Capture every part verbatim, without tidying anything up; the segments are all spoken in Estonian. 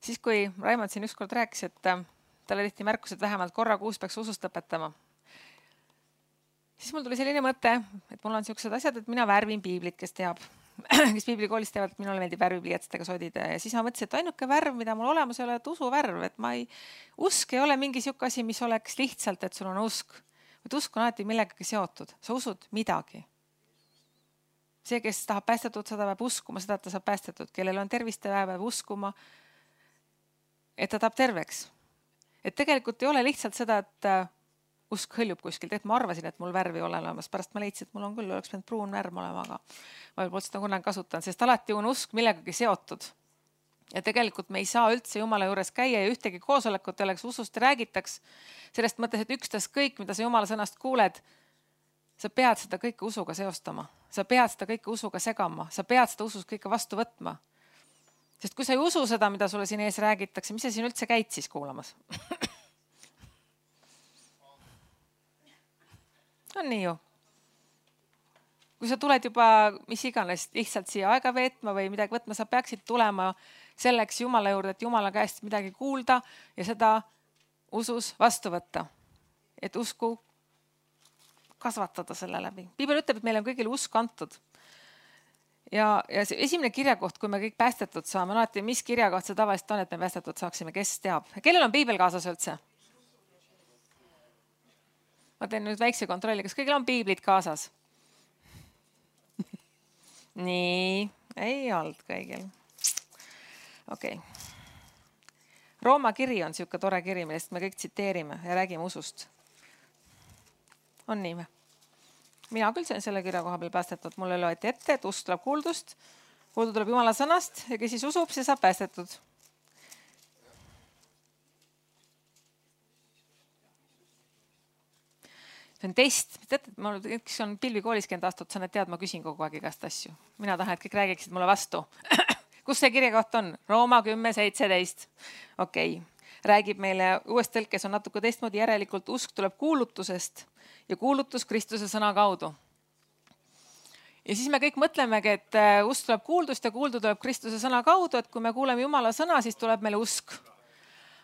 Siis kui Raimond siin ükskord rääkis, et talle tehti märkus, et vähemalt korra kuus peaks usust õpetama, siis mul tuli selline mõte, et mul on siuksed asjad, et mina värvin piiblit, kes teab, kes piiblikoolis teavad, et minule meeldib värvipliiatsidega sodida. Ja siis ma mõtlesin, et ainuke värv, mida mul olemas ei ole, et usuvärv, et ma ei, usk ei ole mingi siuke asi, mis oleks lihtsalt, et sul on usk. Et usk on alati millegagi seotud. Sa usud midagi. See, kes tahab päästetud, seda peab uskuma, seda, et ta saab päästetud. Kellel on tervist ja peab uskuma, et ta tahab terveks. Et tegelikult ei ole lihtsalt seda, et usk hõljub kuskilt, et ma arvasin, et mul värvi ei ole olemas. Pärast ma leidsin, et mul on küll, oleks pidanud pruun värv olema, aga ma võib-olla seda kunagi kasutan, sest alati on usk millegagi seotud. Ja tegelikult me ei saa üldse Jumala juures käia ja ühtegi koosolekut ei oleks usust räägitaks. Sellest mõttes, et ükstas kõik, mida sa Jumala sõnast kuuled, sa pead seda kõike usuga seostama. Sa pead seda kõike usuga segama. Sa pead seda usus kõike vastu võtma. Sest kui sa ei usu seda, mida sulle siin ees räägitakse, mis sa siin üldse käid siis kuulamas? On nii ju. Kui sa tuled juba mis iganes lihtsalt siia aega veetma või midagi võtma, sa peaksid tulema selleks Jumala juurde, et Jumala käest midagi kuulda ja seda usus vastu võtta. Et usku kasvatada selle läbi. Piibel ütleb, et meil on kõigil usk antud. Ja, ja see esimene kirjakoht, kui me kõik päästetud saame, no, et mis kirjakoht see tavaliselt on, et me päästetud saaksime, kes teab. Kellel on piibel kaasas üldse? Ma teen nüüd väikse kontrolli, kas kõigil on piiblid kaasas? Nii, ei olnud kõigil. Okei. Okay. Rooma kiri on siuke tore kiri, millest me kõik tsiteerime ja räägime usust. On nii või? Mina küll sain selle kirja koha peal päästetud. Mulle loeti ette, et usk tuleb kuuldust. Kuuldu tuleb Jumala sõnast ja kes siis usub, see saab päästetud. See on test. Tead, ma kes on pilvikoolis käinud aastat, sa need tead, ma küsin kogu aeg igast asju. Mina tahan, et kõik räägiksid mulle vastu. Kus see kirjakoht on? Rooma kümme seitseteist. Okei. Okay. Räägib meile uues tõlkes on natuke teistmoodi, järelikult usk tuleb kuulutusest ja kuulutus Kristuse sõna kaudu. Ja siis me kõik mõtlemegi, et usk tuleb kuuldust ja kuuldu tuleb Kristuse sõna kaudu, et kui me kuuleme Jumala sõna, siis tuleb meile usk.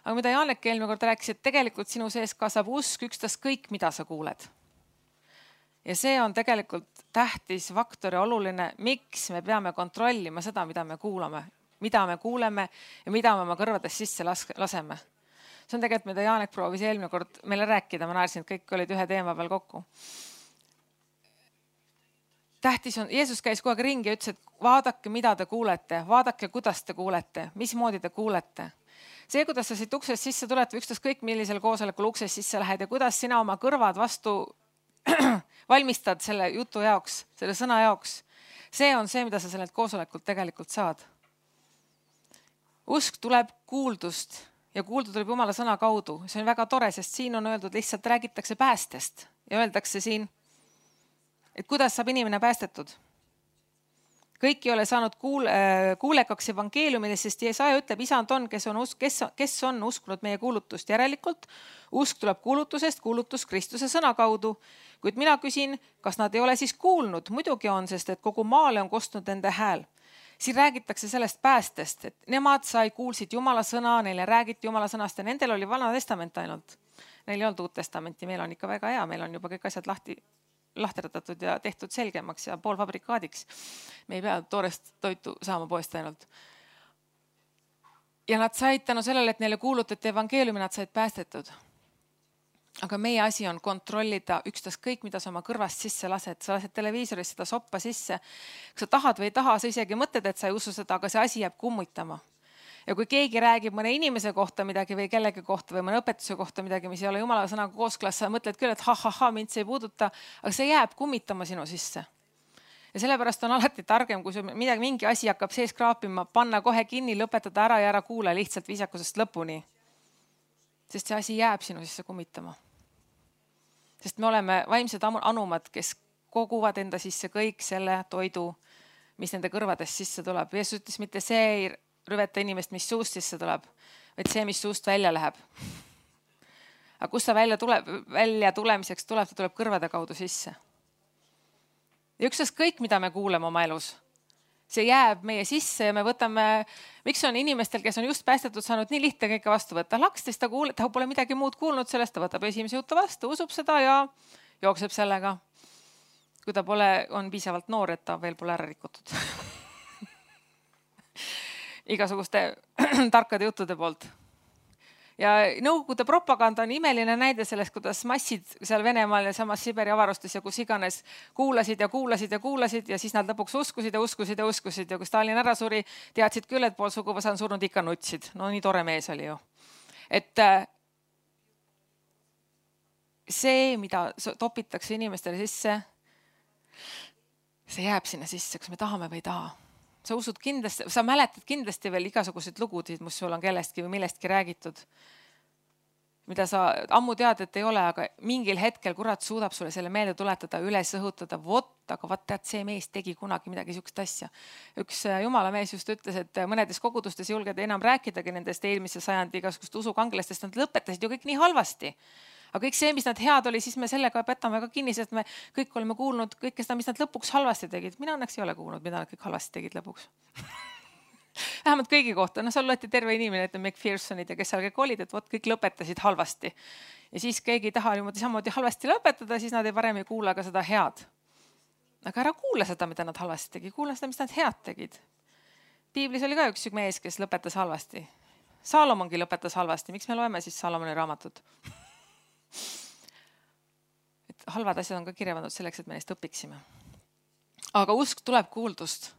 Aga mida Janek eelmine kord rääkis, et tegelikult sinu sees kasvab usk ükstas kõik, mida sa kuuled. Ja see on tegelikult tähtis faktor ja oluline, miks me peame kontrollima seda, mida me kuulame, mida me kuuleme ja mida me oma kõrvades sisse laseme. See on tegelikult, mida Janek proovis eelmine kord meile rääkida. Ma naersin, et kõik olid ühe teema peal kokku. Tähtis on, Jeesus käis kogu aeg ringi ja ütles, et vaadake, mida te kuulete, vaadake, kuidas te kuulete, mismoodi te kuulete. See, kuidas sa siit uksest sisse tuled või ükstas kõik, millisel koosolekul uksest sisse lähed ja kuidas sina oma kõrvad vastu valmistad selle jutu jaoks, selle sõna jaoks. See on see, mida sa sellelt koosolekult tegelikult saad. Usk tuleb kuuldust ja kuuldu tuleb Jumala sõna kaudu. See on väga tore, sest siin on öeldud, lihtsalt räägitakse päästest ja öeldakse siin, et kuidas saab inimene päästetud. Kõik ei ole saanud kuule, kuulekaks evangeeliumidest, sest Jeesaja ütleb, isand on, kes on, usk, kes, kes on uskunud meie kuulutust järelikult. Usk tuleb kuulutusest, kuulutus Kristuse sõna kaudu. Kuid mina küsin, kas nad ei ole siis kuulnud? Muidugi on, sest et kogu maale on kostnud nende hääl. Siin räägitakse sellest päästest, et nemad sai kuulsid Jumala sõna, neile räägiti Jumala sõnast ja nendel oli Vana Testament ainult. Neil ei olnud Uut Testamenti, meil on ikka väga hea, meil on juba kõik asjad lahti lahterdatud ja tehtud selgemaks ja poolfabrikaadiks. Me ei pea toorest toitu saama poest ainult. Ja nad said tänu sellele, et neile kuulutati evangeeliumi, nad said päästetud. Aga meie asi on kontrollida ükstas kõik, mida sa oma kõrvast sisse lased. Sa lased televiisoris seda soppa sisse. Kui sa tahad või ei taha, sa isegi mõtled, et sa ei usu seda, aga see asi jääb kummutama. Ja kui keegi räägib mõne inimese kohta midagi või kellegi kohta või mõne õpetuse kohta midagi, mis ei ole Jumala sõnaga kooskõlas, sa mõtled küll, et ha, ha, ha, mind see ei puuduta, aga see jääb kummitama sinu sisse. Ja sellepärast on alati targem, kui midagi, mingi asi hakkab sees kraapima, panna kohe kinni, lõpetada ära ja ära kuule lihtsalt viisakusest lõpuni. Sest see asi jääb sinu sisse kummitama. Sest me oleme vaimsed anumad, kes koguvad enda sisse kõik selle toidu, mis nende kõrvadest sisse tuleb. Jeesus ütles, mitte see ei rüveta inimest, mis suust sisse tuleb, vaid see, mis suust välja läheb. Aga kus ta välja, tuleb, välja tulemiseks tuleb, ta tuleb kõrvade kaudu sisse. Ja ükstas kõik, mida me kuuleme oma elus, see jääb meie sisse ja me võtame, miks on inimestel, kes on just päästetud saanud, nii lihtne kõike vastu võtta. Lakstest ta kuuleb, ta pole midagi muud kuulnud sellest, ta võtab esimese juttu vastu, usub seda ja jookseb sellega. Kui ta pole, on piisavalt noor, et ta veel pole ära rikutud. Igasuguste tarkade juttude poolt. Ja Nõukogude propaganda on imeline näide sellest, kuidas massid seal Venemaal ja samas Siberi avarustes ja kus iganes kuulasid ja kuulasid ja kuulasid ja siis nad lõpuks uskusid ja uskusid ja uskusid ja kui Stalin ära suri, teadsid küll, et pool suguvõsa on surnud, ikka nutsid. No nii tore mees oli ju. Et see, mida topitakse inimestele sisse, see jääb sinna sisse, kas me tahame või ei taha. Sa usud kindlasti, sa mäletad kindlasti veel igasuguseid lugusid, mis sul on kellestki või millestki räägitud, mida sa ammu tead, et ei ole, aga mingil hetkel kurat suudab sulle selle meelde tuletada, üles õhutada, vot, aga vaat tead, see mees tegi kunagi midagi sihukest asja. Üks jumala mees just ütles, et mõnedes kogudustes julged enam rääkidagi nendest eelmise sajandi igasugust usukangelastest, nad lõpetasid ju kõik nii halvasti. Aga kõik see, mis nad head oli, siis me sellega petame ka kinni, sest me kõik oleme kuulnud kõike seda, mis nad lõpuks halvasti tegid. Mina õnneks ei ole kuulnud, mida nad kõik halvasti tegid lõpuks. Vähemalt kõigi kohta. No seal loeti terve inimene, et McPhersonid ja kes seal kõik olid, et vot kõik lõpetasid halvasti. Ja siis keegi ei taha niimoodi samamoodi halvasti lõpetada, siis nad ei parem ei kuula ka seda head. Aga ära kuula seda, mida nad halvasti tegi. Kuula seda, mis nad head tegid. Piiblis oli ka üks mees, kes lõpetas halvasti. Saalomongi lõpetas halvasti. Miks me loeme siis Saalomoni raamatut? Et halvad asjad on ka kirja pandud selleks, et me neist õpiksime. Aga usk tuleb kuuldust.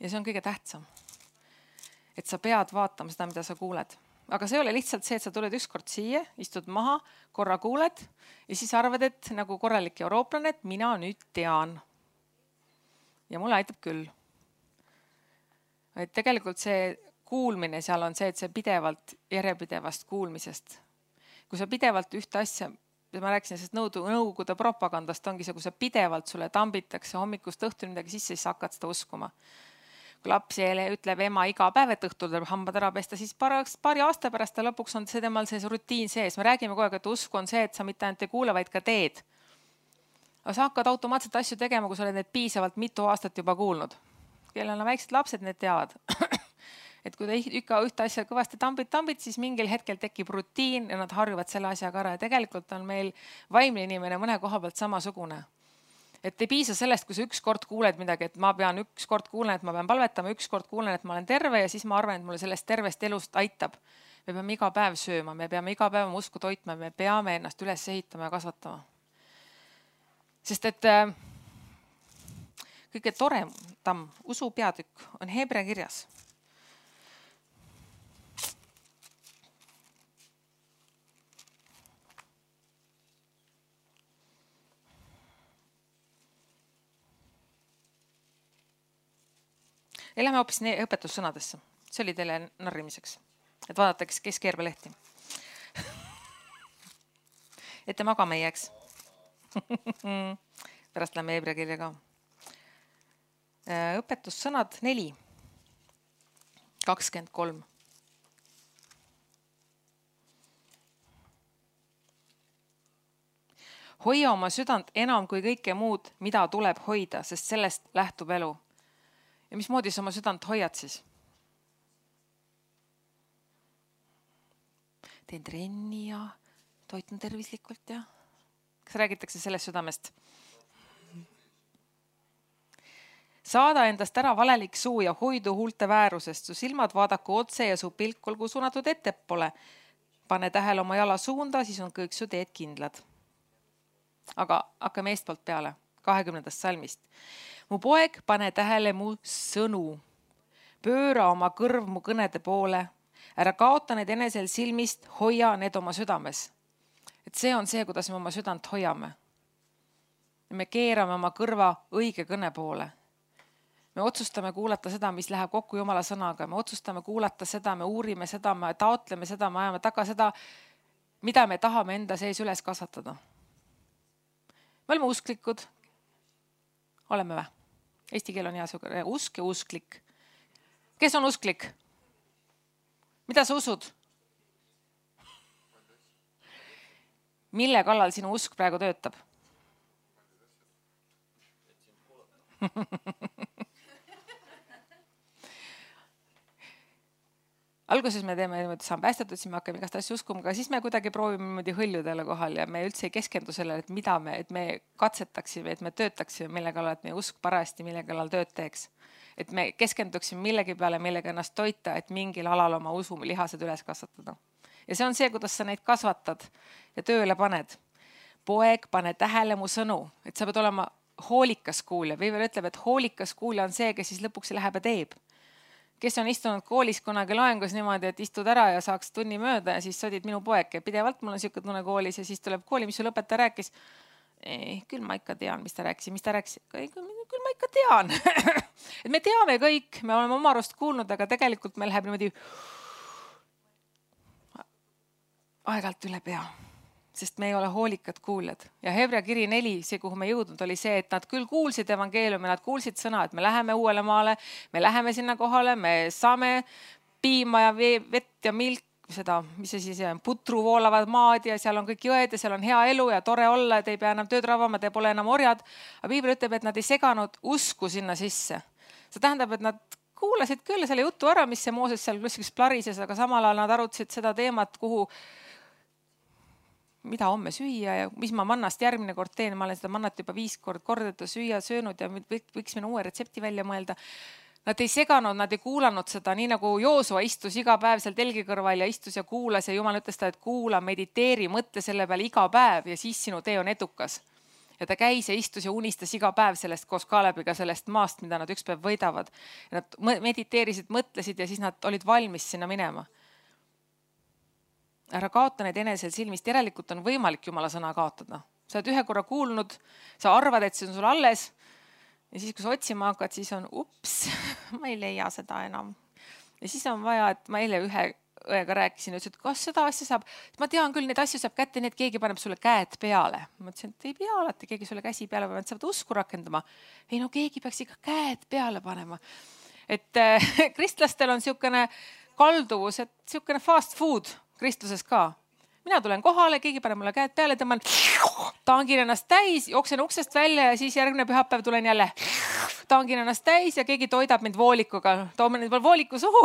Ja see on kõige tähtsam. Et sa pead vaatama seda, mida sa kuuled. Aga see ei ole lihtsalt see, et sa tuled ükskord siia, istud maha, korra kuuled ja siis arvad, et nagu korralik eurooplane, et mina nüüd tean. Ja mulle aitab küll. Et tegelikult see kuulmine seal on see, et see pidevalt järjepidevast kuulmisest. Kui sa pidevalt ühte asja, ma rääkisin sellest Nõukogude propagandast, ongi see, kui sa pidevalt sulle tambitakse hommikust õhtuni midagi sisse, siis hakkad seda uskuma. Kui laps ütleb ema iga päev, et õhtul tuleb hambad ära pesta, siis paari aasta pärast ta lõpuks on see temal see rutiin sees. Me räägime kogu aeg, et usku on see, et sa mitte ainult ei kuule, vaid ka teed. Aga sa hakkad automaatselt asju tegema, kui sa oled need piisavalt mitu aastat juba kuulnud. Kellel on väiksed lapsed, need teavad. Et kui ta ikka ühte asja kõvasti tambid, tambid, siis mingil hetkel tekib rutiin ja nad harjuvad selle asjaga ära. Ja tegelikult on meil vaimne inimene mõne koha pealt samasugune. Et ei piisa sellest, kui sa üks kord kuuled midagi, et ma pean üks kord kuulen, et ma pean palvetama, üks kord kuulen, et ma olen terve ja siis ma arvan, et mulle sellest tervest elust aitab. Me peame iga päev sööma, me peame iga päev usku toitma, me peame ennast üles ehitama ja kasvatama. Sest et kõige toredam usu peatükk on Hebra kirjas. Ja lähme hoopis õpetussõnadesse. See oli teile narrimiseks. Et vaadata, kes keerbe lehti. Et te magama ei jääks. Pärast lähme Hebra kirja ka. Õpetussõnad neli. kakskümmend kolm. Hoia oma südant enam kui kõike muud, mida tuleb hoida, sest sellest lähtub elu. Ja mismoodi sa oma südant hoiad siis? Teen trenni ja toitun tervislikult ja... Kas räägitakse sellest südamest? Saada endast ära valelik suu ja hoidu huulte väärusest. Su silmad vaadaku otse ja su pilk olgu suunatud ettepole. Pane tähele oma jala suunda, siis on kõik su teed kindlad. Aga hakkame eestpoolt peale, kahekümnendast salmist. Mu poeg, pane tähele mu sõnu. Pööra oma kõrv mu kõnede poole. Ära kaota need enesel silmist, hoia need oma südames. Et see on see, kuidas me oma südant hoiame. Me keerame oma kõrva õige kõne poole. Me otsustame kuulata seda, mis läheb kokku Jumala sõnaga. Me otsustame kuulata seda, me uurime seda, me taotleme seda, me ajame taga seda, mida me tahame enda sees üles kasvatada. Me oleme usklikud. Oleme vä? Eesti keel on hea suge. Usk ja usklik. Kes on usklik? Mida sa usud? Mille kallal sinu usk praegu töötab? alguses me teeme niimoodi, saan päästetud, siis me hakkame igast asju uskuma, aga siis me kuidagi proovime niimoodi hõljuda jälle kohal ja me üldse ei keskendu sellele, et mida me, et me katsetaksime, et me töötaksime, mille kallal, et meie usk parajasti, mille kallal tööd teeks. Et me keskenduksime millegi peale, millega ennast toita, et mingil alal oma usu lihased üles kasvatada. Ja see on see, kuidas sa neid kasvatad ja tööle paned. Poeg, pane tähele mu sõnu, et sa pead olema hoolikas kuulja. Viiver ütleb, et hoolikas kuulja on see, kes siis lõpuks läheb ja teeb. Kes on istunud koolis kunagi loengus niimoodi, et istud ära ja saaks tunni mööda ja siis sodid minu poeg. Pidevalt mul on siuke tunne koolis ja siis tuleb kooli, mis su lõpetaja rääkis. Ei, küll ma ikka tean, mis ta rääkis. Mis ta rääkis? Küll ma ikka tean. Et me teame kõik, me oleme oma arust kuulnud, aga tegelikult meil läheb niimoodi aegalt üle pea. Sest me ei ole hoolikad kuuljad. Ja Hebra kiri neli, see kuhu me jõudnud, oli see, et nad küll kuulsid evangeeliumi, nad kuulsid sõna, et me läheme uuele maale, me läheme sinna kohale, me saame piima ja vett ja milk, seda, mis see siis on, putru voolavad maad ja seal on kõik jõed ja seal on hea elu ja tore olla, et ei pea enam tööd ravama, te pole enam orjad. Aga Piibel ütleb, et nad ei seganud usku sinna sisse. See tähendab, et nad kuulasid küll selle jutu ära, mis see Mooses seal kuskil plarises, aga samal ajal nad arutasid seda teemat, kuhu mida homme süüa ja mis ma mannast järgmine kord teen. Ma olen seda mannat juba viis kord kordeta süüa, söönud ja võiks minna uue retsepti välja mõelda. Nad ei seganud, nad ei kuulanud seda, nii nagu Joosua istus iga päev seal telgi kõrval ja istus ja kuulas ja Jumal ütles ta, et kuula, mediteeri, mõtle selle peale iga päev ja siis sinu tee on edukas. Ja ta käis ja istus ja unistas iga päev sellest koos Kaalebiga sellest maast, mida nad üks päev võidavad. Ja nad mediteerisid, mõtlesid ja siis nad olid valmis sinna minema. Ära kaota neid enesel silmist, järelikult on võimalik Jumala sõna kaotada. Sa oled ühe korra kuulnud, sa arvad, et see on sul alles ja siis, kui sa otsima hakkad, siis on ups, ma ei leia seda enam. Ja siis on vaja, et ma eile ühe õega rääkisin ja ütlesin, et kas seda asja saab, ma tean küll, neid asju saab kätte, nii et keegi paneb sulle käed peale. Ma ütlesin, et ei pea alati keegi sulle käsi peale, vaid saavad usku rakendama. Ei no keegi peaks ikka käed peale panema. Et äh, kristlastel on siukene kalduvus, et siukene fast food kristluses ka. Mina tulen kohale, keegi paneb mulle käed peale, tõmban, taangin ennast täis, jooksen uksest välja ja siis järgmine pühapäev tulen jälle. Taangin ennast täis ja keegi toidab mind voolikuga. Toome nüüd veel vooliku suhu.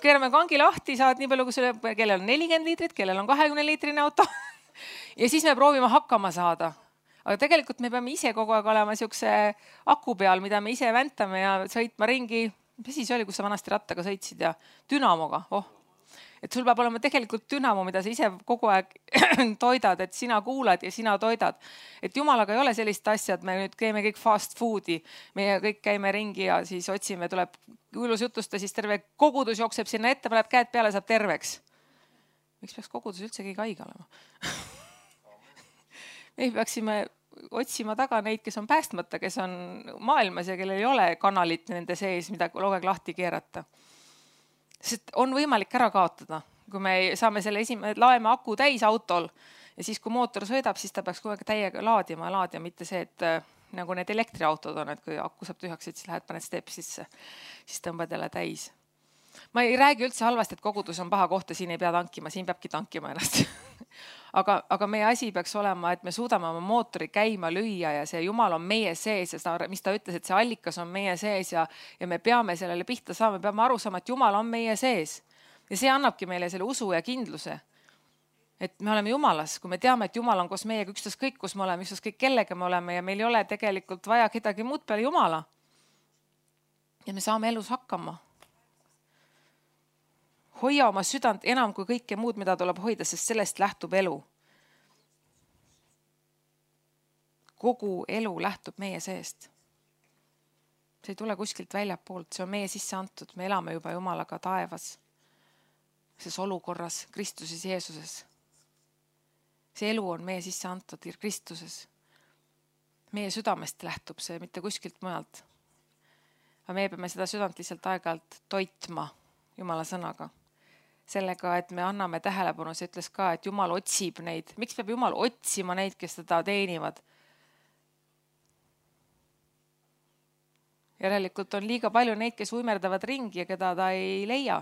Keerame kangi lahti, saad nii palju, kui sulle, kellel on nelikümmend liitrit, kellel on kahekümne liitrine auto. Ja siis me proovime hakkama saada. Aga tegelikult me peame ise kogu aeg olema siukse aku peal, mida me ise väntame ja sõitma ringi. Mis siis oli, kus sa vanasti rattaga sõitsid ja dünamoga? Oh. Et sul peab olema tegelikult dünamo, mida sa ise kogu aeg toidad, et sina kuulad ja sina toidad. Et Jumalaga ei ole sellist asja, et me nüüd käime kõik fast foodi. Meie kõik käime ringi ja siis otsime, tuleb kuulus jutusta, siis terve kogudus jookseb sinna ette, paneb käed peale, saab terveks. Miks peaks kogudus üldse keegi haige olema? Me peaksime otsima taga neid, kes on päästmata, kes on maailmas ja kellel ei ole kanalit nende sees, mida kogu aeg lahti keerata. Sest on võimalik ära kaotada, kui me saame selle esimene, laeme aku täis autol ja siis, kui mootor sõidab, siis ta peaks kogu aeg täiega laadima ja laadima, mitte see, et nagu need elektriautod on, et kui aku saab tühjaks, et siis lähed paned step sisse, siis tõmbad jälle täis. Ma ei räägi üldse halvasti, et kogudus on paha koht ja siin ei pea tankima, siin peabki tankima ennast. aga, aga meie asi peaks olema, et me suudame oma mootori käima lüüa ja see Jumal on meie sees ja seda, mis ta ütles, et see allikas on meie sees ja, ja me peame sellele pihta saama, me peame aru saama, et Jumal on meie sees. Ja see annabki meile selle usu ja kindluse, et me oleme Jumalas, kui me teame, et Jumal on koos meiega ükstas kõik, kus me oleme, ükstas kõik kellega me oleme ja meil ei ole tegelikult vaja kedagi muud peale Jumala. Ja me saame elus hakkama. Hoia oma südant enam kui kõike muud, mida tuleb hoida, sest sellest lähtub elu. Kogu elu lähtub meie seest. See ei tule kuskilt väljapoolt, see on meie sisse antud. Me elame juba Jumalaga taevas. Ses olukorras Kristuses Jeesuses. See elu on meie sisse antud Kristuses. Meie südamest lähtub see, mitte kuskilt mujalt. Aga me peame seda südant lihtsalt aeg-ajalt toitma Jumala sõnaga. Sellega, et me anname tähelepanu, see ütles ka, et Jumal otsib neid. Miks peab Jumal otsima neid, kes teda teenivad? Järelikult on liiga palju neid, kes uimerdavad ringi ja keda ta ei leia.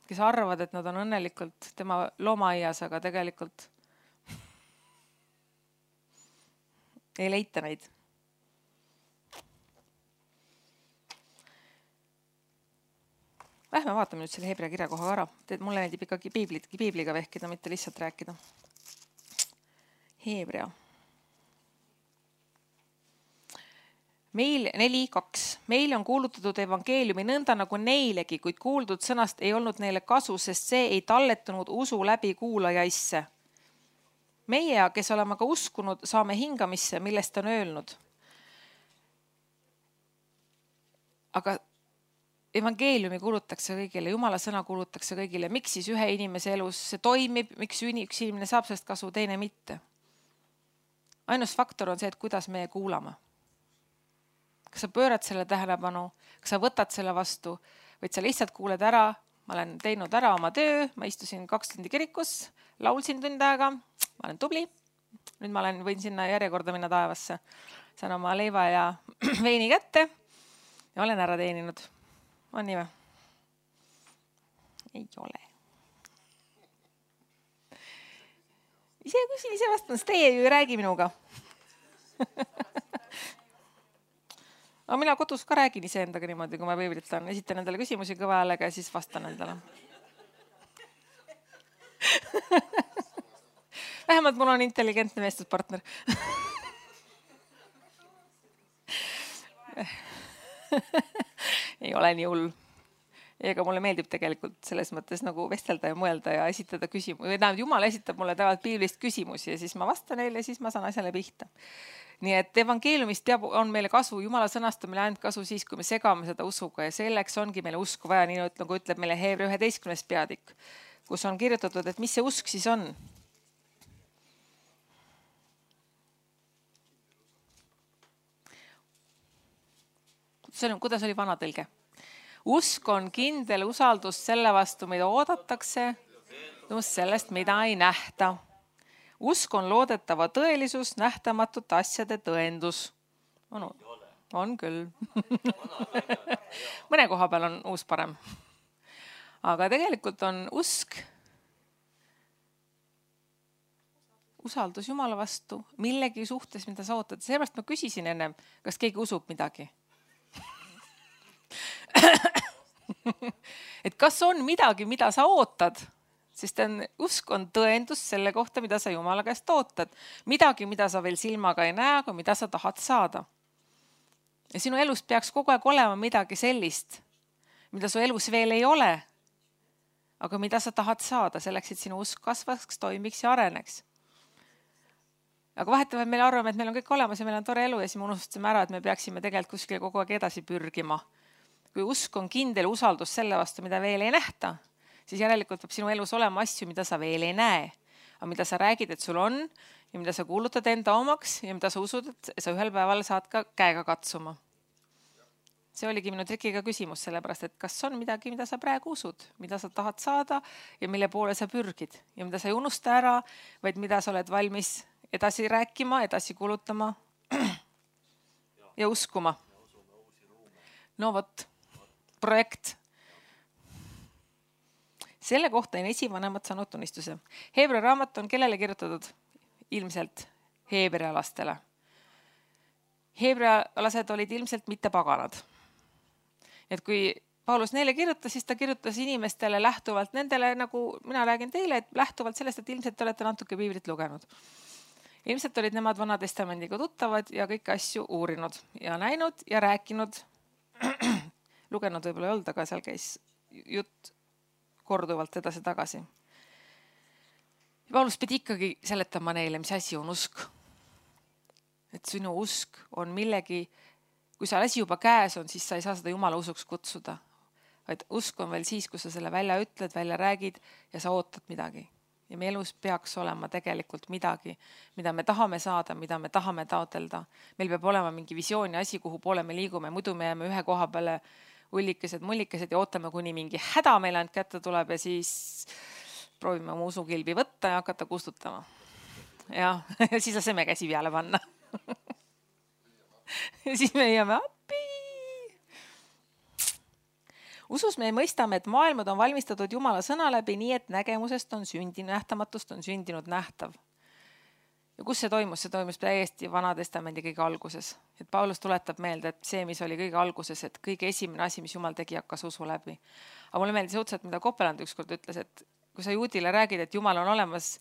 Kes arvavad, et nad on õnnelikult tema loomaaias, aga tegelikult ei leita neid. Lähme vaatame nüüd selle Hebra kirja koha ära. Mulle meeldib ikkagi piiblit, piibliga vehkida, mitte lihtsalt rääkida. Hebra. Meil neli kaks. Meil on kuulutatud evangeeliumi nõnda nagu neilegi, kuid kuuldud sõnast ei olnud neile kasu, sest see ei talletunud usu läbi kuulajaisse. Meie, kes oleme ka uskunud, saame hingamisse, millest on öelnud. Aga evangeeliumi kuulutakse kõigile, Jumala sõna kuulutakse kõigile. Miks siis ühe inimese elus see toimib, miks üks inimene saab sellest kasu, teine mitte? Ainus faktor on see, et kuidas meie kuulame. Kas sa pöörad selle tähelepanu, kas sa võtad selle vastu, või sa lihtsalt kuuled ära, ma olen teinud ära oma töö, ma istusin kaks tundi kirikus, laulsin tund aega, ma olen tubli, nüüd ma olen, võin sinna järjekorda minna taevasse, saan oma leiva ja veini kätte ja olen ära teeninud. On nii või? Ei ole. Ise küsin, ise vastan, sest teie ju ei räägi minuga. Aga mina kodus ka räägin ise endaga niimoodi, kui ma piiblit on. Esitan endale küsimusi kõva häälega ja siis vastan endale. Vähemalt mul on intelligentne vestluspartner. Ei ole nii hull. Ega mulle meeldib tegelikult selles mõttes nagu vestelda ja mõelda ja esitada küsimusi. Või tähendab, Jumal esitab mulle tavaliselt piiblist küsimusi ja siis ma vastan neile ja siis ma saan asjale pihta. Nii et evangeeliumist teab, on meile kasu, Jumala sõnast on meile ainult kasu siis, kui me segame seda usuga ja selleks ongi meile usku vaja, nii nagu ütleb meile Hebra üheteistkümnes peatükk, kus on kirjutatud, et mis see usk siis on. Kuidas oli vana tõlge? Usk on kindel usaldus selle vastu, mida oodatakse, sellest, mida ei nähta. Usk on loodetava tõelisus, nähtamatute asjade tõendus. On, on küll. Mõne koha peal on uus parem. Aga tegelikult on usk usaldus Jumala vastu millegi suhtes, mida sa ootad. Seepärast ma küsisin ennem, kas keegi usub midagi. Et kas on midagi, mida sa ootad, sest on, usk on tõendus selle kohta, mida sa Jumala käest ootad. Midagi, mida sa veel silmaga ei näe, aga mida sa tahad saada. Ja sinu elus peaks kogu aeg olema midagi sellist, mida su elus veel ei ole, aga mida sa tahad saada selleks, et sinu usk kasvaks, toimiks ja areneks. Aga vahetavalt meile arvame, et meil on kõik olemas ja meil on tore elu ja siis me unustasime ära, et me peaksime tegelikult kuskile kogu aeg edasi pürgima. Kui usk on kindel usaldus selle vastu, mida veel ei nähta, siis järelikult peab sinu elus olema asju, mida sa veel ei näe. Aga mida sa räägid, et sul on ja mida sa kuulutad enda omaks ja mida sa usud, et sa ühel päeval saad ka käega katsuma. See oligi minu trikiga küsimus sellepärast, et kas on midagi, mida sa praegu usud, mida sa tahad saada ja mille poole sa pürgid ja mida sa ei unusta ära, vaid mida sa oled valmis edasi rääkima, edasi kuulutama ja uskuma. No vot. Projekt. Selle kohta on esivanemad saanud tunnistuse. Hebra raamat on kellele kirjutatud? Ilmselt heebrealastele. Heebrealased olid ilmselt mitte paganad. Et kui Paulus neile kirjutas, siis ta kirjutas inimestele lähtuvalt nendele, nagu mina räägin teile, et lähtuvalt sellest, et ilmselt te olete natuke piiblit lugenud. Ilmselt olid nemad Vana Testamendiga tuttavad ja kõiki asju uurinud ja näinud ja rääkinud. Lugenud võib-olla ei olnud, aga seal käis jutt korduvalt edasi tagasi. Paulus pidi ikkagi seletama neile, mis asi on usk. Et sinu usk on millegi, kui sa asi juba käes on, siis sa ei saa seda Jumala usuks kutsuda. Vaid usk on veel siis, kui sa selle välja ütled, välja räägid ja sa ootad midagi. Ja meie elus peaks olema tegelikult midagi, mida me tahame saada, mida me tahame taotelda. Meil peab olema mingi visioon ja asi, kuhu poole me liigume. Muidu me jääme ühe koha peale ullikesed, mullikesed ja ootame, kuni mingi häda meile ainult kätte tuleb ja siis proovime oma usukilbi võtta ja hakata kustutama. Ja, ja siis laseme käsi peale panna. Ja siis me jääme appi. Usus me mõistame, et maailmad on valmistatud Jumala sõna läbi nii, et nägemusest on sündinud, nähtamatust on sündinud nähtav. Ja kus see toimus? See toimus täiesti Vana Testamendi kõige alguses. Et Paulus tuletab meelde, et see, mis oli kõige alguses, et kõige esimene asi, mis Jumal tegi, hakkas usu läbi. Aga mulle meeldis õudselt, mida Kopeland ükskord ütles, et kui sa juudile räägid, et Jumal on olemas,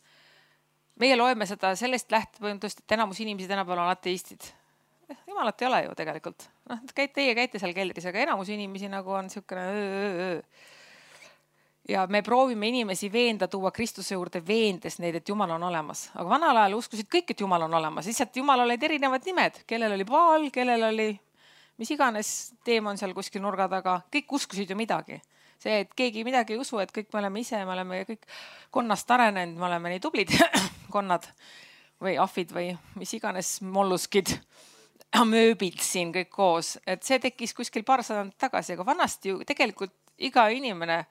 meie loeme seda sellest lähtepõhjendust, et enamus inimesi tänapäeval on ateistid. Jumalat ei ole ju tegelikult. No, teie käite seal keldris, aga enamus inimesi nagu on siukene öö, öö, öö. Ja me proovime inimesi veenda, tuua Kristuse juurde veendes neid, et Jumal on olemas. Aga vanal ajal uskusid kõik, et Jumal on olemas. Lihtsalt Jumal olid erinevad nimed. Kellel oli Baal, kellel oli mis iganes teemon seal kuskil nurga taga. Kõik uskusid ju midagi. See, et keegi midagi ei usu, et kõik me oleme ise, me oleme kõik konnast arenenud, me oleme nii tublid konnad või ahvid või mis iganes molluskid, mööbid siin kõik koos. Et see tekkis kuskil paar sadandit tagasi, aga vanasti ju tegelikult iga inimene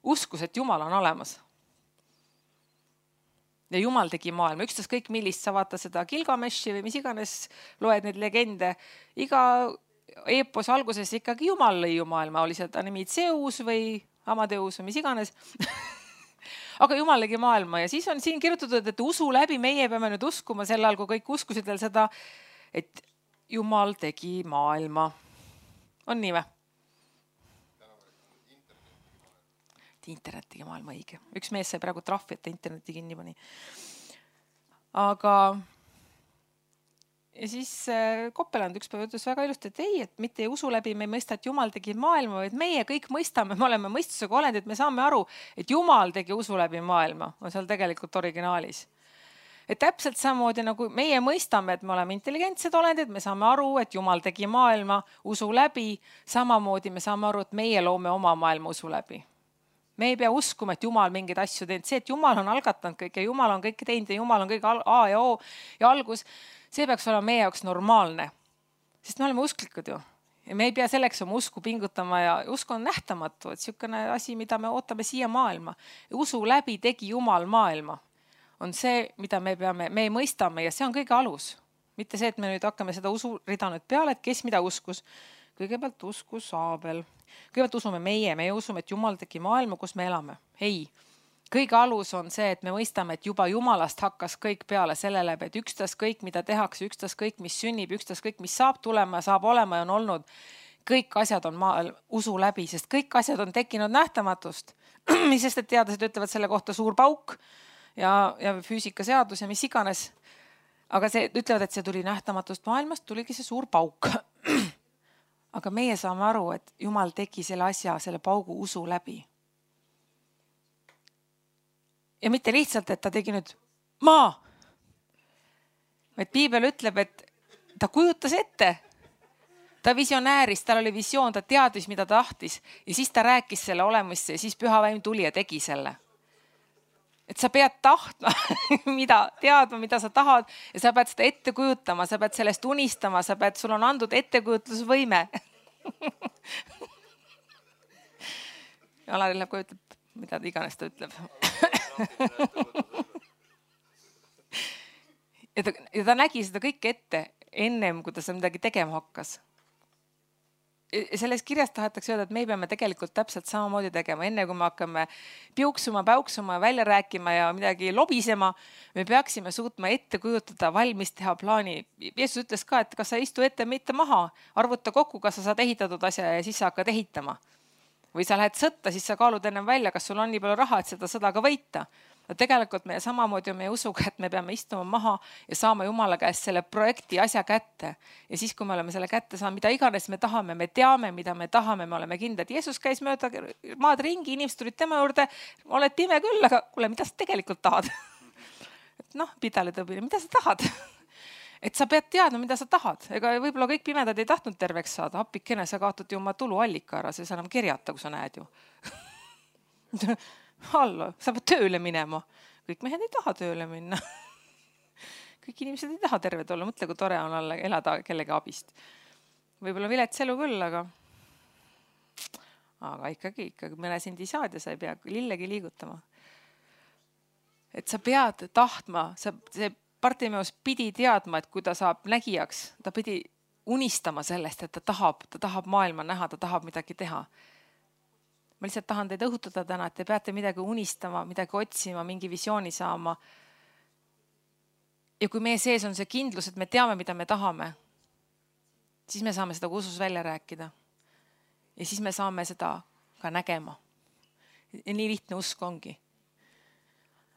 uskus, et Jumal on olemas. Ja Jumal tegi maailma. Ükstas kõik millist sa vaata seda Gilgameshi või mis iganes loed neid legende. Iga eepos alguses ikkagi Jumal lõi ju maailma. Oli seda nimi Zeus või Amadeus või mis iganes. Aga Jumal tegi maailma ja siis on siin kirjutatud, et usu läbi meie peame nüüd uskuma sel ajal, kui kõik uskusid veel seda, et Jumal tegi maailma. On nii või? Internet tegi maailma õige. Üks mees sai praegu trahvi, et interneti kinni pani. Aga ja siis Kopeland üks päev ütles väga ilusti, et ei, et mitte ei usu läbi, me ei mõista, et Jumal tegi maailma, vaid meie kõik mõistame, me oleme mõistusega olendid, me saame aru, et Jumal tegi usu läbi maailma. On seal tegelikult originaalis. Et täpselt samamoodi nagu meie mõistame, et me oleme intelligentsed olendid, me saame aru, et Jumal tegi maailma usu läbi, samamoodi me saame aru, et meie loome oma maailma usu läbi. Me ei pea uskuma, et Jumal mingeid asju teinud. See, et Jumal on algatanud kõik ja Jumal on kõik teinud ja Jumal on kõik A ja O ja algus, see peaks olema meie jaoks normaalne. Sest me oleme usklikud ju. Ja me ei pea selleks oma usku pingutama ja usk on nähtamatu, et niisugune asi, mida me ootame siia maailma. Ja usu läbi tegi Jumal maailma. On see, mida me peame, me mõistame ja see on kõige alus. Mitte see, et me nüüd hakkame seda usu rida nüüd peale, et kes mida uskus. Kõigepealt uskus Aabel. Kõigepealt usume meie, meie usume, et Jumal tegi maailma, kus me elame. Ei, kõige alus on see, et me mõistame, et juba Jumalast hakkas kõik peale sellele, et ükstas kõik, mida tehakse, ükstas kõik, mis sünnib, ükstas kõik, mis saab tulema, saab olema ja on olnud. Kõik asjad on maal usu läbi, sest kõik asjad on tekkinud nähtamatust. Mis sest, et teadlased ütlevad selle kohta suur pauk ja, ja füüsikaseadus ja mis iganes. Aga see ütlevad, et see tuli nähtamatust maailmast, tuligi see suur pauk. Aga meie saame aru, et Jumal tegi selle asja, selle paugu usu läbi. Ja mitte lihtsalt, et ta tegi nüüd maa. Vaid Piibel ütleb, et ta kujutas ette. Ta visionääris, tal oli visioon, ta teadis, mida ta tahtis. Ja siis ta rääkis selle olemisse ja siis Püha Vaim tuli ja tegi selle. Et sa pead tahtma, mida, teadma, mida sa tahad ja sa pead seda ette kujutama, sa pead sellest unistama, sa pead, sul on andud ettekujutlusvõime. Alari läheb, kui ütleb, mida ta iganes ta ütleb. Ja ta, ja ta nägi seda kõike ette ennem, kui ta seda midagi tegema hakkas. Selles kirjas tahetakse öelda, et me peame tegelikult täpselt samamoodi tegema. Enne kui me hakkame piuksuma, päuksuma, välja rääkima ja midagi lobisema, me peaksime suutma ette kujutada, valmis teha plaani. Jeesus ütles ka, et kas sa istu ette, mitte maha. Arvuta kokku, kas sa saad ehitatud asja ja siis sa hakkad ehitama. Või sa lähed sõtta, siis sa kaalud ennem välja, kas sul on nii palju raha, et seda sõda ka võita. Tegelikult me samamoodi on meie usuga, et me peame istuma maha ja saama Jumala käest selle projekti asja kätte. Ja siis, kui me oleme selle kätte saanud, mida iganes me tahame, me teame, mida me tahame, me oleme kindlad. Jeesus käis mööda maad ringi, inimesed tulid tema juurde, oled pime küll, aga kuule, mida sa tegelikult tahad? Et noh, pidale tõbine, mida sa tahad? Et sa pead teadma, mida sa tahad. Ega võib-olla kõik pimedad ei tahtnud terveks saada. Appikene, sa kaotad ju oma tuluallika ära, see sa enam kerjata, kui sa näed ju. Hallo, sa pead tööle minema. Kõik mehed ei taha tööle minna. Kõik inimesed ei taha terved olla. Mõtle, kui tore on olla, elada kellegi abist. Võib-olla vilets elu küll, aga aga ikkagi, ikkagi mõne sendi saad ja sa ei pea lillegi liigutama. Et sa pead tahtma, sa, see Bartimeus pidi teadma, et kui ta saab nägijaks, ta pidi unistama sellest, et ta tahab, ta tahab maailma näha, ta tahab midagi teha. Ma lihtsalt tahan teid õhutada täna, et te peate midagi unistama, midagi otsima, mingi visiooni saama. ja kui meie sees on see kindlus, et me teame, mida me tahame, siis me saame seda usus välja rääkida. Ja siis me saame seda ka nägema. Ja nii lihtne usk ongi.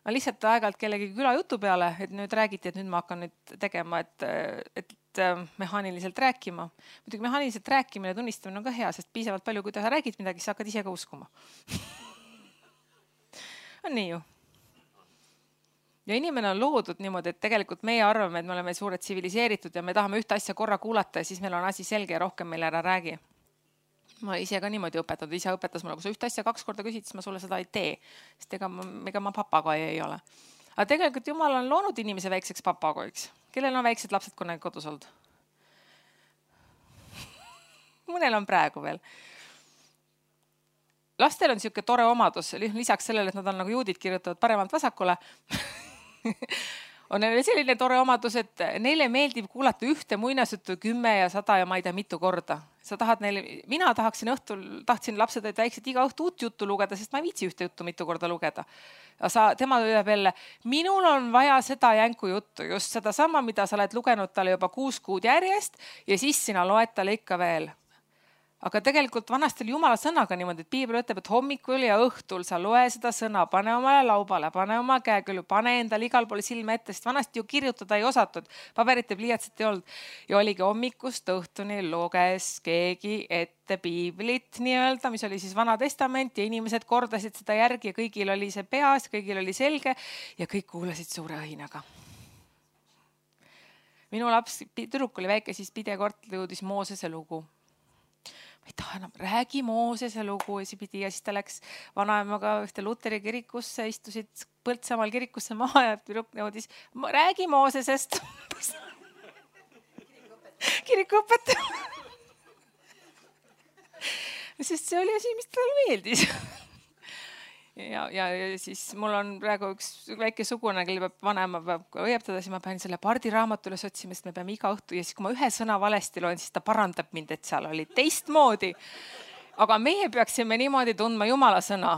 Ma lihtsalt aeg-ajalt kellegi külajutu peale, et nüüd räägiti, et nüüd ma hakkan nüüd tegema, et, et mehaaniliselt rääkima. Muidugi mehaaniliselt rääkimine ja tunnistamine on ka hea, sest piisavalt palju, kui sa räägid midagi, sa hakkad ise ka uskuma. On nii ju. Ja inimene on loodud niimoodi, et tegelikult meie arvame, et me oleme suured tsiviliseeritud ja me tahame ühte asja korra kuulata ja siis meil on asi selge ja rohkem meil ära räägi. Ma ise ka niimoodi õpetanud, isa õpetas mulle, kui sa ühte asja kaks korda küsid, siis ma sulle seda ei tee, sest ega ma, ega ma papagai ei ole. Aga tegelikult Jumal on loonud inimese väikseks papagoiks. Kellel on väiksed lapsed kunagi kodus olnud? Mõnel on praegu veel. Lastel on siuke tore omadus, lisaks sellele, et nad on nagu juudid kirjutavad paremalt vasakule, on neil selline tore omadus, et neile meeldib kuulata ühte muinasjuttu kümme ja sada ja ma ei tea mitu korda. Sa tahad neile, mina tahaksin õhtul, tahtsin lapsed, et väiksed iga õhtu uut juttu lugeda, sest ma ei viitsi ühte juttu mitu korda lugeda. Sa, tema ütleb jälle, minul on vaja seda jänku juttu, just seda sama, mida sa oled lugenud talle juba kuus kuud järjest ja siis sina loed talle ikka veel. Aga tegelikult vanasti oli Jumala sõnaga niimoodi, et Piibel ütleb, et hommikul ja õhtul sa loe seda sõna, pane omale laubale, pane oma käekülju, pane endale igal pool silme ette, sest vanasti ju kirjutada ei osatud, paberit ja pliiatsit ei olnud. Ja oligi hommikust õhtuni luges keegi ette Piiblit nii-öelda, mis oli siis Vana Testament ja inimesed kordasid seda järgi ja kõigil oli see peas, kõigil oli selge ja kõik kuulasid suure õhinaga. Minu laps, tüdruk oli väike, siis pidekord jõudis Moosese lugu. Ei taha enam, räägi Moosese lugu ja siis, ja siis ta läks vanaemaga ühte Luteri kirikusse, istusid Põltsamaal kirikusse maha ja tüdruk nõudis, räägi Moosesest. Kirikuõpetaja. Sest see oli asi, mis talle meeldis. Ja, ja, ja siis mul on praegu üks väike sugune, kelle peab vanema peab õieptada, siis ma pean selle pardiraamatu üles otsima, sest me peame iga õhtu ja siis kui ma ühe sõna valesti loen, siis ta parandab mind, et seal oli teistmoodi. Aga meie peaksime niimoodi tundma Jumala sõna,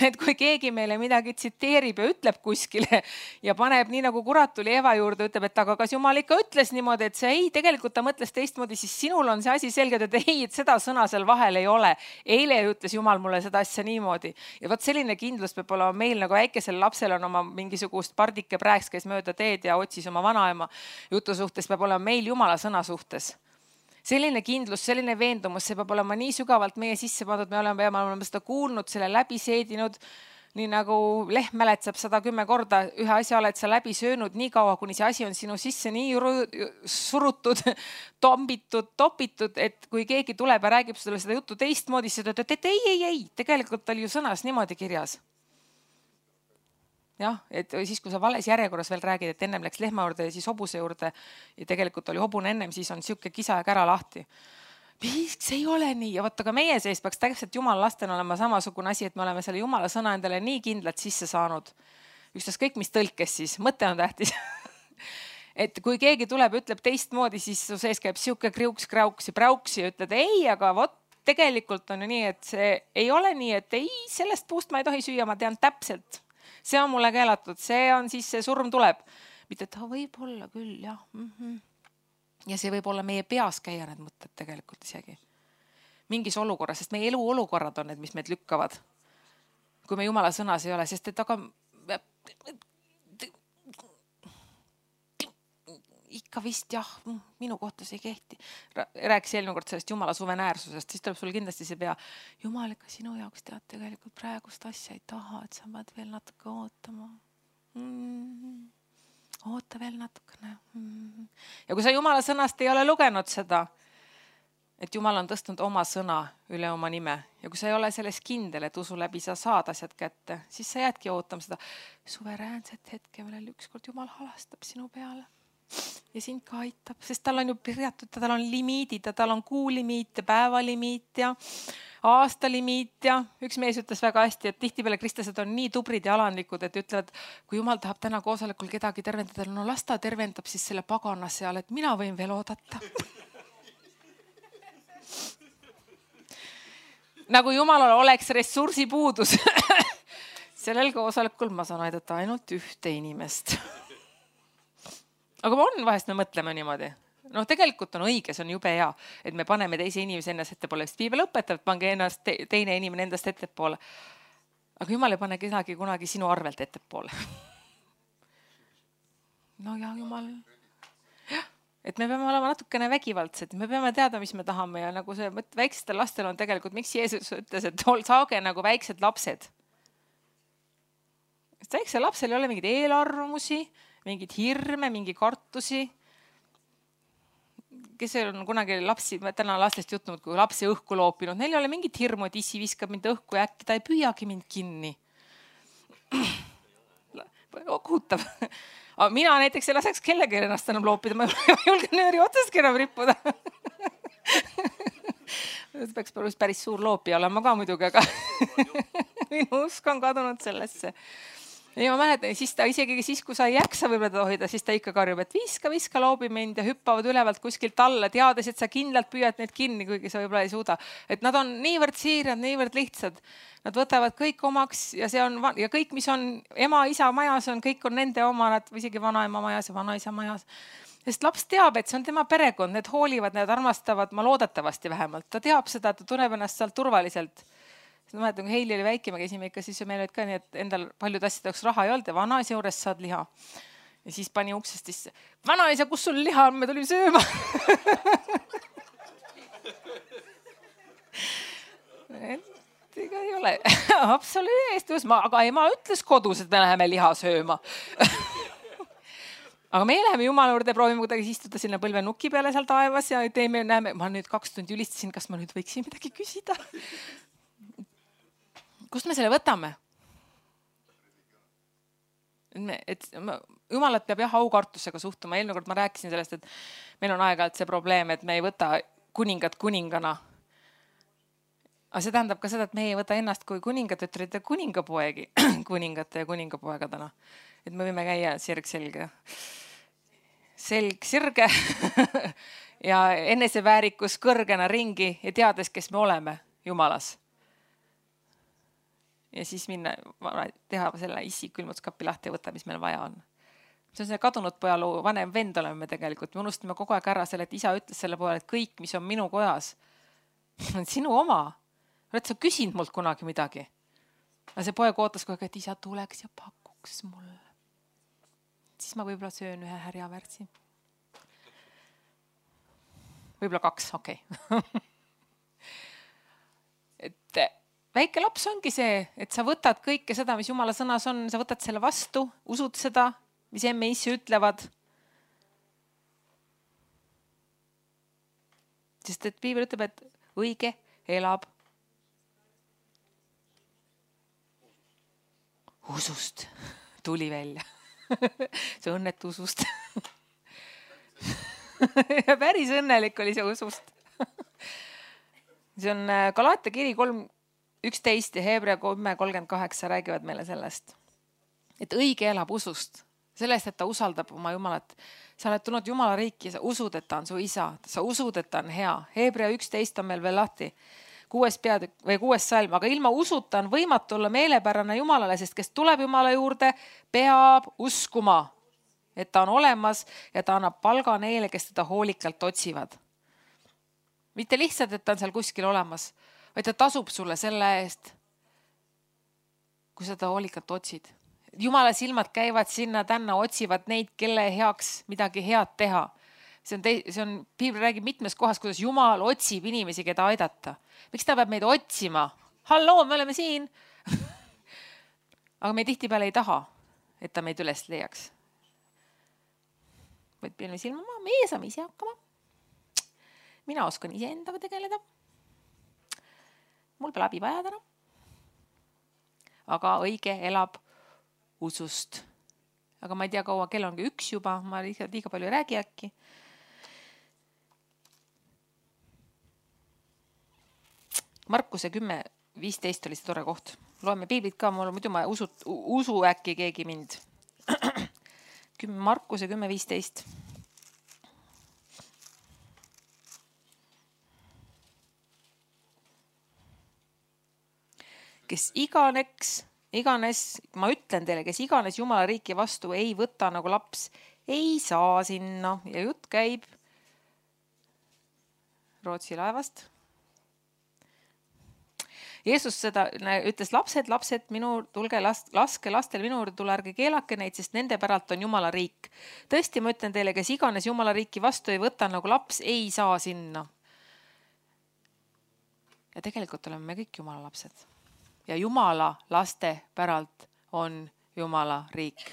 et kui keegi meile midagi tsiteerib ja ütleb kuskile ja paneb nii nagu kurat tuli Eva juurde, ütleb, et aga kas Jumal ikka ütles niimoodi, et see ei, tegelikult ta mõtles teistmoodi, siis sinul on see asi selge, et ei, et seda sõna seal vahel ei ole. Eile ütles Jumal mulle seda asja niimoodi. Ja võt selline kindlus peab olema meil nagu väikesel lapsel on oma mingisugust pardike prääks, kes mööda teed ja otsis oma vanaema jutu suhtes, peab olema meil Jumala sõna suhtes. Selline kindlus, selline veendumus, see peab olema nii sügavalt meie sisse pandud, me oleme, me oleme seda kuulnud, selle läbi seedinud, nii nagu lehm mäletsab sada kümme korda, ühe asja oled sa läbi söönud nii kaua, kuni see asi on sinu sisse nii surutud, tombitud, topitud, et kui keegi tuleb ja räägib sulle seda juttu teistmoodi, siis ütled, et ei, ei, ei, tegelikult oli ju sõnas niimoodi kirjas. Jah, et siis kui sa vales järjekorras veel räägid, et ennem läks lehma juurde ja siis hobuse juurde ja tegelikult oli hobune ennem, siis on siuke kisa ja kära lahti. Miks ei ole nii? Ja võtta ka meie sees peaks täpselt Jumala lasten olema samasugune asi, et me oleme selle Jumala sõna endale nii kindlalt sisse saanud. Ükstas kõik, mis tõlkes siis, mõte on tähtis. Et kui keegi tuleb, ütleb teistmoodi, siis su sees käib siuke kriuks, krauks ja prauks ja ütled ei, aga vot tegelikult on ju nii, et see ei ole nii, et ei, sellest puust ma ei tohi süüa, ma tean täpselt. See on mulle keelatud, see on siis see surm tuleb. Mitte, et ta võib olla küll, jah. Mm-hmm. Ja see võib olla meie peas käia need mõtted tegelikult isegi. Mingis olukorras, sest meie elu olukorrad on need, mis meid lükkavad. Kui me Jumala sõnas ei ole, sest et aga ikka vist jah, minu kohta see ei kehti. Rääkis eelmine kord sellest Jumala suveräänsusest, siis tuleb sul kindlasti see pea. Jumal, ikka sinu jaoks tead tegelikult praegust asja ei taha, et sa pead veel natuke ootama. Mm-hmm. Oota veel natukene. Mm-hmm. Ja kui sa Jumala sõnast ei ole lugenud seda, et Jumal on tõstnud oma sõna üle oma nime ja kui sa ei ole selles kindel, et usu läbi sa saad asjad kätte, siis sa jäädki ootama seda suveräänset hetke, millel ükskord Jumal halastab sinu peale. Ja sind ka aitab, sest tal on ju pirjatud, tal on limiidid, tal on kuulimiit ja päevalimiit ja aastalimiit ja üks mees ütles väga hästi, et tihtipeale kristlased on nii tubrid ja alandlikud, et ütlevad, kui Jumal tahab täna koosolekul kedagi tervendada, no las ta tervendab siis selle pagana seal, et mina võin veel oodata. Nagu Jumalal oleks ressursipuudus. Sellel koosolekul ma saan aidata ainult ühte inimest. aga on vahest me mõtleme niimoodi. No tegelikult on õige, see on jube hea, et me paneme teise inimese ennast ettepoole, sest piibel õpetab, pange ennast te, teine inimene endast ettepoole. Aga Jumal ei pane kedagi kunagi sinu arvelt ettepoole. No ja Jumal. Et me peame olema natukene vägivaldsed, me peame teada, mis me tahame ja nagu see väikstel lastel on tegelikult, miks Jeesus ütles, et saage nagu väiksed lapsed. Sest väiksel lapsel ei ole mingid eelarvamusi, mingid hirme, mingi kartusi. Kes on kunagi lapsi, ma täna lastest jutnud, kui lapsi õhku loopinud, neil ei ole mingit hirmu, et issi viskab mind õhku ja äkki ta ei püüagi mind kinni. Kuhutab. Aga mina näiteks ei laseks kellegi ennast enam loopida, ma ei julge nööri otsaski enam rippuda. Peaks päris suur loopija olema ka muidugi, aga minu usk on kadunud sellesse. Ja ma mäletan, siis ta isegi siis, kui sa ei jaksa võib-olla teda hoida, siis ta ikka karjub, et viska, viska, loobi mind ja hüppavad ülevalt kuskilt alla, teades, et sa kindlalt püüad neid kinni, kuigi sa võib-olla ei suuda. Et nad on niivõrd siirad, niivõrd lihtsad. Nad võtavad kõik omaks ja see on, ja kõik, mis on ema, isa majas, on, kõik on nende oma, nad isegi vanaema majas ja vanaisa majas. Sest laps teab, et see on tema perekond, need hoolivad, need armastavad, ma loodetavasti vähemalt. Ta teab seda, et ta tunneb ennast sealt turvaliselt. Ma mäletan, kui Heili oli väike, me käisime ikka, siis meil olid ka nii, et endal paljud asjad jaoks raha ei olnud ja vanaisa juures saad liha. Ja siis pani uksest sisse, vanaisa, kus sul liha on, me tulime sööma. Et ega ei ole absoluutselt, aga ema ütles kodus, et me läheme liha sööma. Aga me läheme Jumala juurde, proovime kuidagi istuda sinna põlve nuki peale seal taevas ja teeme, näeme, ma nüüd kaks tundi ülistasin, kas ma nüüd võiksin midagi küsida. Kust me selle võtame? Et Jumalat peab jah aukartusega suhtuma. Eelmine kord ma rääkisin sellest, et meil on aeg-ajalt see probleem, et me ei võta kuningat kuningana. Aga see tähendab ka seda, et me ei võta ennast kui kuningatütrid ja kuningapoegi, kuningate ja kuningapoegadena. Et me võime käia sirg selge, selg sirge ja eneseväärikus kõrgena ringi ja teades, kes me oleme Jumalas. Ja siis minna, teha selle issi külmutskapi lahti ja võtta, mis meil vaja on. See on see kadunud pojaloo, vanem vend oleme me tegelikult. Me unustame kogu aeg ära selle, et isa ütles selle poole, et kõik, mis on minu kojas, on sinu oma. Oled sa küsinud mult kunagi midagi? Aga see poeg ootas kogu aeg, et isa tuleks ja pakuks mulle. Siis ma võib-olla söön ühe härjavärtsi. Võib-olla kaks, okei. Okay. et väike laps ongi see, et sa võtad kõike seda, mis Jumala sõnas on, sa võtad selle vastu, usud seda, mis emme issi ütlevad. Sest et piibel ütleb, et õige elab usust. Tuli välja. See õnnetu usust. Ja päris õnnelik oli see usust. See on Galaatia kiri kolm üksteist ja Hebrea kümme kolmkümmend kaheksa räägivad meile sellest, et õige elab usust, sellest, et ta usaldab oma Jumalat. Sa oled tulnud Jumala riiki ja sa usud, et ta on su isa, sa usud, et ta on hea. Hebrea üksteist on meil veel lahti, kuues peatükk või kuues salm, aga ilma usuta on võimatu olla meelepärane Jumalale, sest kes tuleb Jumala juurde, peab uskuma, et ta on olemas ja ta annab palga neile, kes teda hoolikalt otsivad. Mitte lihtsalt, et ta on seal kuskil olemas, vaid ta tasub sulle selle eest, kui sa ta hoolikalt otsid. Jumala silmad käivad sinna tänna, otsivad neid, kelle heaks midagi head teha. See on, te, see on, piibel räägib mitmes kohas, kuidas Jumal otsib inimesi, keda aidata. Miks ta peab meid otsima? Halloo, me oleme siin. Aga me tihtipeale ei taha, et ta meid üles leiaks. Võid piilme silma, meie saame ise hakkama. Mina oskan ise endaga tegeleda. Mul pole abi vaja täna. Aga õige elab usust. Aga ma ei tea, kaua kell ongi üks juba. Ma liiga palju ei räägi äkki. Markuse kümme viisteist oli see tore koht. Loeme piiblit ka, mul muidu ma usu, usu äkki keegi mind. Markuse kümme viisteist. Kes iganeks, iganes, ma ütlen teile, kes iganes Jumala riiki vastu ei võta nagu laps, ei saa sinna ja jutt käib Rootsi laevast. Jeesus seda ütles, lapsed, lapsed, minu, tulge, laske lastel minu juurde tulla, ärge keelake neid, sest nende päralt on Jumala riik. Tõesti, ma ütlen teile, kes iganes Jumala riiki vastu ei võta nagu laps, ei saa sinna. Ja tegelikult oleme me kõik Jumala lapsed. Ja Jumala laste päralt on Jumala riik.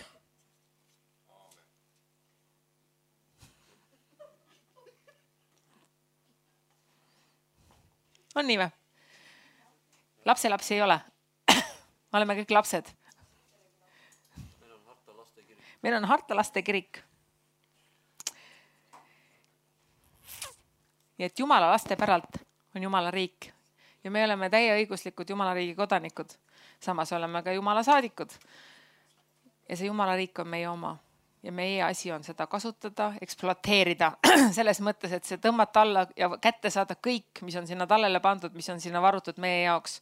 On nii või? Lapse lapsi ei ole. Oleme kõik lapsed. Meil on Harta laste kirik. Nii et Jumala laste päralt on Jumala riik. Ja me oleme täieõiguslikud Jumala riigi kodanikud. Samas oleme ka Jumala saadikud. Ja see Jumala riik on meie oma. Ja meie asi on seda kasutada, ekspluateerida. Selles mõttes, et see tõmmata alla ja kätte saada kõik, mis on sinna tallele pandud, mis on sinna varutud meie jaoks.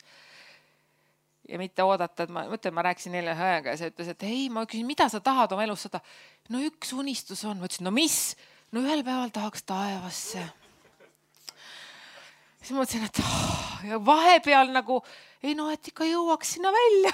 Ja mitte oodata, et ma mõtlen, ma rääkisin neile ajaga ja see ütles, et ei, ma küsin, mida sa tahad oma elus saada? No üks unistus on. Ma ütlesin, no mis? No ühel päeval tahaks taevasse. Siis ma mõtlesin, et oh, ja vahepeal nagu, ei no, et ikka jõuaks sinna välja.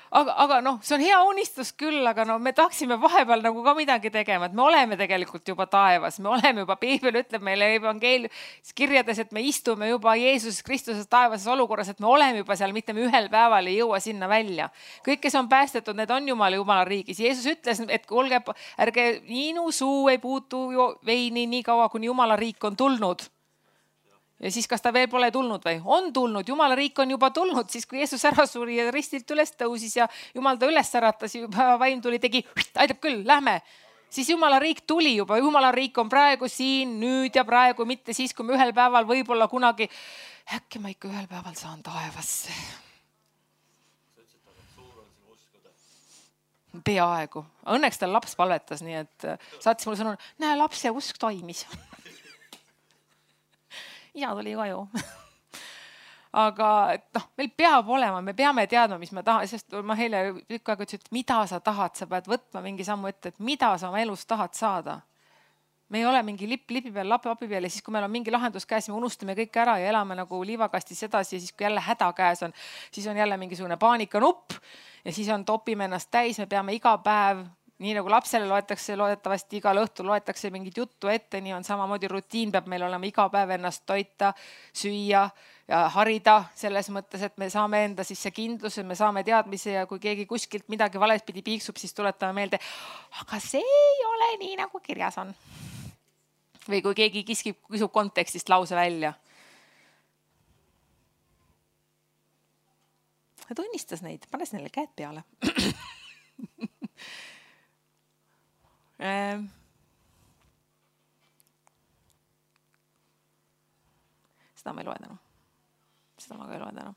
Aga, aga noh, see on hea unistus küll, aga no me tahaksime vahepeal nagu ka midagi tegema, et me oleme tegelikult juba taevas, me oleme juba, Piibel ütleb meile evangeeliumis kirjades, et me istume juba Jeesus Kristuses taevases olukorras, et me oleme juba seal, mitte me ühel päeval ei jõua sinna välja. Kõik, kes on päästetud, need on Jumala Jumala riigis. Jeesus ütles, et kuulge, ärge minu suu ei puutu veini nii kaua, kuni Jumala riik on tulnud. Ja siis, kas ta veel pole tulnud või? On tulnud, Jumala riik on juba tulnud, siis kui Jeesus ära suri ja ristilt üles tõusis ja Jumal ta üles äratas, juba vaim tuli, tegi, aitab küll, lähme. Siis Jumala riik tuli juba, Jumala riik on praegu siin, nüüd ja praegu, mitte siis, kui me ühel päeval võib-olla kunagi, äkki ma ikka ühel päeval saan taevasse. Peaaegu. Õnneks tal laps palvetas, nii et saatis mulle sõnu, näe, lapse usk toimis. Ja tuli koju. Aga noh, meil peab olema, me peame teadma, mis me tahame, sest ma heile tükk aega ütlesin, et mida sa tahad, sa pead võtma mingi sammu ette, et mida sa oma elus tahad saada. Me ei ole mingi lipp lipi peal, lapi api peal ja siis, kui meil on mingi lahendus käes, me unustame kõik ära ja elame nagu liivakastis edasi ja siis, kui jälle häda käes on, siis on jälle mingisugune paanikanupp ja siis on topime ennast täis, me peame iga päev nii nagu lapsele loetakse, loodetavasti igal õhtul loetakse mingit juttu ette, nii on samamoodi rutiin, peab meil olema iga päev ennast toita, süüa ja harida selles mõttes, et me saame enda sisse kindluse, me saame teadmise ja kui keegi kuskilt midagi valespidi piiksub, siis tuletame meelde, aga see ei ole nii, nagu kirjas on. Või kui keegi kiskib, kisub kontekstist lause välja. Ja tunnistas neid, panes neile käed peale. Ähm. Seda ma ei loe täna. Seda ma ka ei loe täna.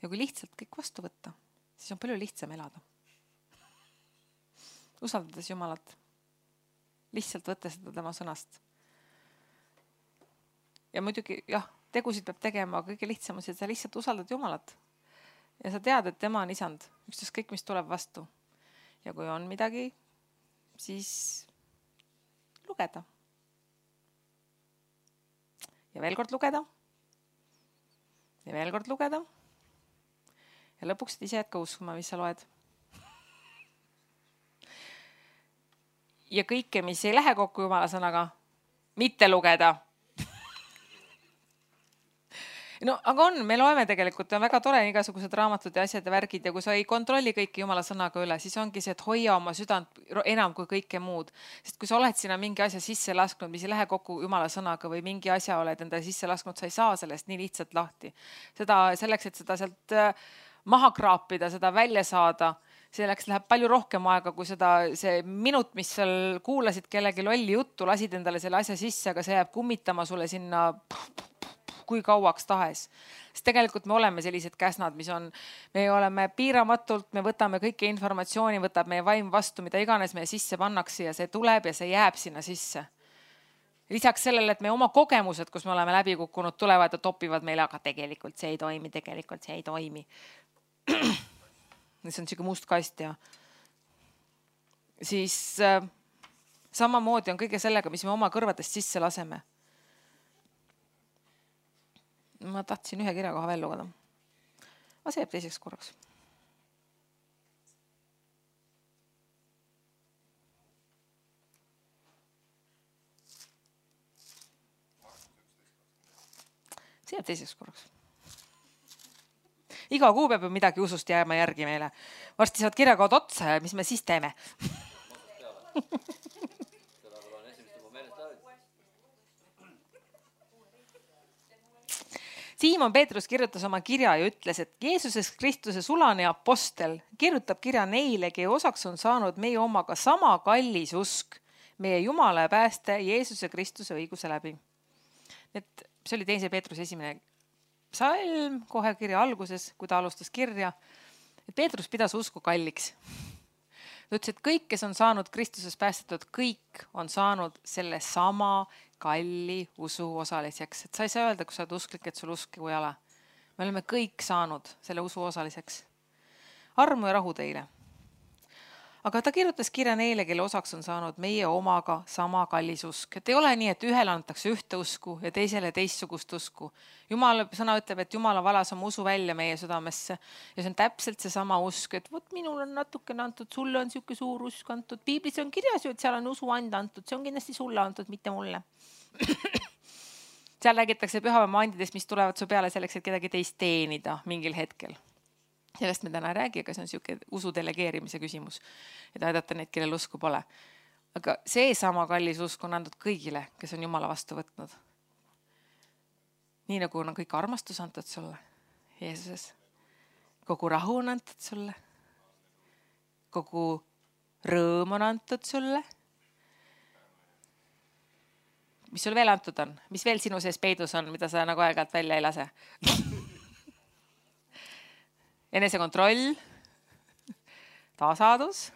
Ja kui lihtsalt kõik vastu võtta, siis on palju lihtsam elada. Usaldades Jumalat. Lihtsalt võtta seda tema sõnast. Ja muidugi, jah, tegusid peab tegema, aga kõige lihtsam on see, et sa lihtsalt usaldad Jumalat. Ja sa tead, et tema on isand, ükstaskõik kõik, mis tuleb vastu. Ja kui on midagi, siis lugeda. Ja veel kord lugeda. Ja veel kord lugeda. Ja lõpuks ise jätka uskuma, mis sa loed. Ja kõike, mis ei lähe kokku Jumala sõnaga, mitte lugeda. No, aga on, me loeme tegelikult, on väga tore igasugused raamatud ja asjad ja värgid ja kui sa ei kontrolli kõike Jumala sõnaga üle, siis ongi see, et hoia oma südant enam kui kõike muud. Sest kui sa oled sinna mingi asja sisse lasknud, mis ei lähe kokku Jumala sõnaga või mingi asja oled endale sisse lasknud, sa ei saa sellest nii lihtsalt lahti. Seda selleks, et seda sealt maha kraapida, seda välja saada, selleks läheb palju rohkem aega, kui seda, see minut, mis seal kuulasid kellegi lolli juttu, lasid endale selle asja sisse, aga see jääb kummitama sulle sinna kui kauaks tahes. Sest tegelikult me oleme sellised käsnad, mis on, me oleme piiramatult, me võtame kõike informatsiooni, võtab meie vaim vastu, mida iganes meie sisse pannakse ja see tuleb ja see jääb sinna sisse. lisaks sellele, et me oma kogemused, kus me oleme läbi kukkunud, tulevad ja topivad meile, aga tegelikult see ei toimi, tegelikult see ei toimi. See on siuke must kast ja siis äh, samamoodi on kõige sellega, mis me oma kõrvadest sisse laseme. Ma tahtsin ühe kirja koha veel lugeda. Aga see jääb teiseks korraks. See jääb teiseks korraks. Iga kuu peab ju midagi usust jääma järgi meile. Varsti saad kirjakood otsa ja mis me siis teeme? Siimon Peetrus kirjutas oma kirja ja ütles, et Jeesuses Kristuse sulane apostel kirjutab kirja neile, kelle osaks on saanud meie omaga sama kallis usk, meie Jumala ja pääste Jeesuse Kristuse õiguse läbi. Et see oli teise Peetruse esimene salm kohe kirja alguses, kui ta alustas kirja, et Peetrus pidas usku kalliks. Ta ütles, et kõik, kes on saanud Kristuses päästetud, kõik on saanud selle sama kalli usu osaliseks. Et sa ei saa öelda, kui sa oled usklik, et sul usk kui ala. Me oleme kõik saanud selle usu osaliseks. Armu ja rahu teile. Aga ta kirjutas kirja neile, kelle osaks on saanud meie omaga sama kallis usk. Et ei ole nii, et ühele antakse ühte usku ja teisele teistsugust usku. Jumala sõna ütleb, et Jumala valas oma usu välja meie südamesse. Ja see on täpselt see sama usk, et võt, minul on natuke antud, sulle on siuke suur usk antud. Piiblis on kirjas ju, et seal on usu anda antud. See on kindlasti sulle antud, mitte mulle. Seal räägitakse pühapäeva andidest, mis tulevad su peale selleks, et kedagi teist teenida mingil hetkel. Sellest me täna ei räägi, aga see on siuke usu delegeerimise küsimus, et aidata neid, kellel usku pole. Aga see sama kallis usk on antud kõigile, kes on Jumala vastu võtnud. Nii nagu on kõik armastus antud sulle, Jeesuses. Kogu rahu on antud sulle. Kogu rõõm on antud sulle. Mis sul veel antud on? Mis veel sinu sees peidus on, mida sa nagu aeg-ajalt välja ei lase? Enesekontroll, tasadus,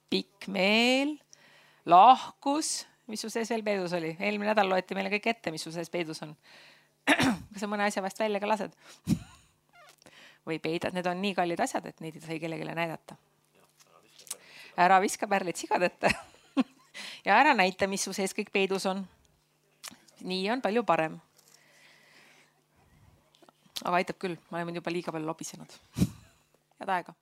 pikk meel, lahkus, mis su sees veel peidus oli? Eelmine nädal loeti meile kõik ette, mis su sees peidus on. Kas sa mõne asja vast välja ka lased? Või peidad, need on nii kallid asjad, et neid ei sai kellegile näidata. Ära viska pärlid sigadette ja ära näita, mis su sees kõik peidus on. Nii on palju parem. Aga aitab küll, ma olen juba liiga palju lobisenud. Head aega.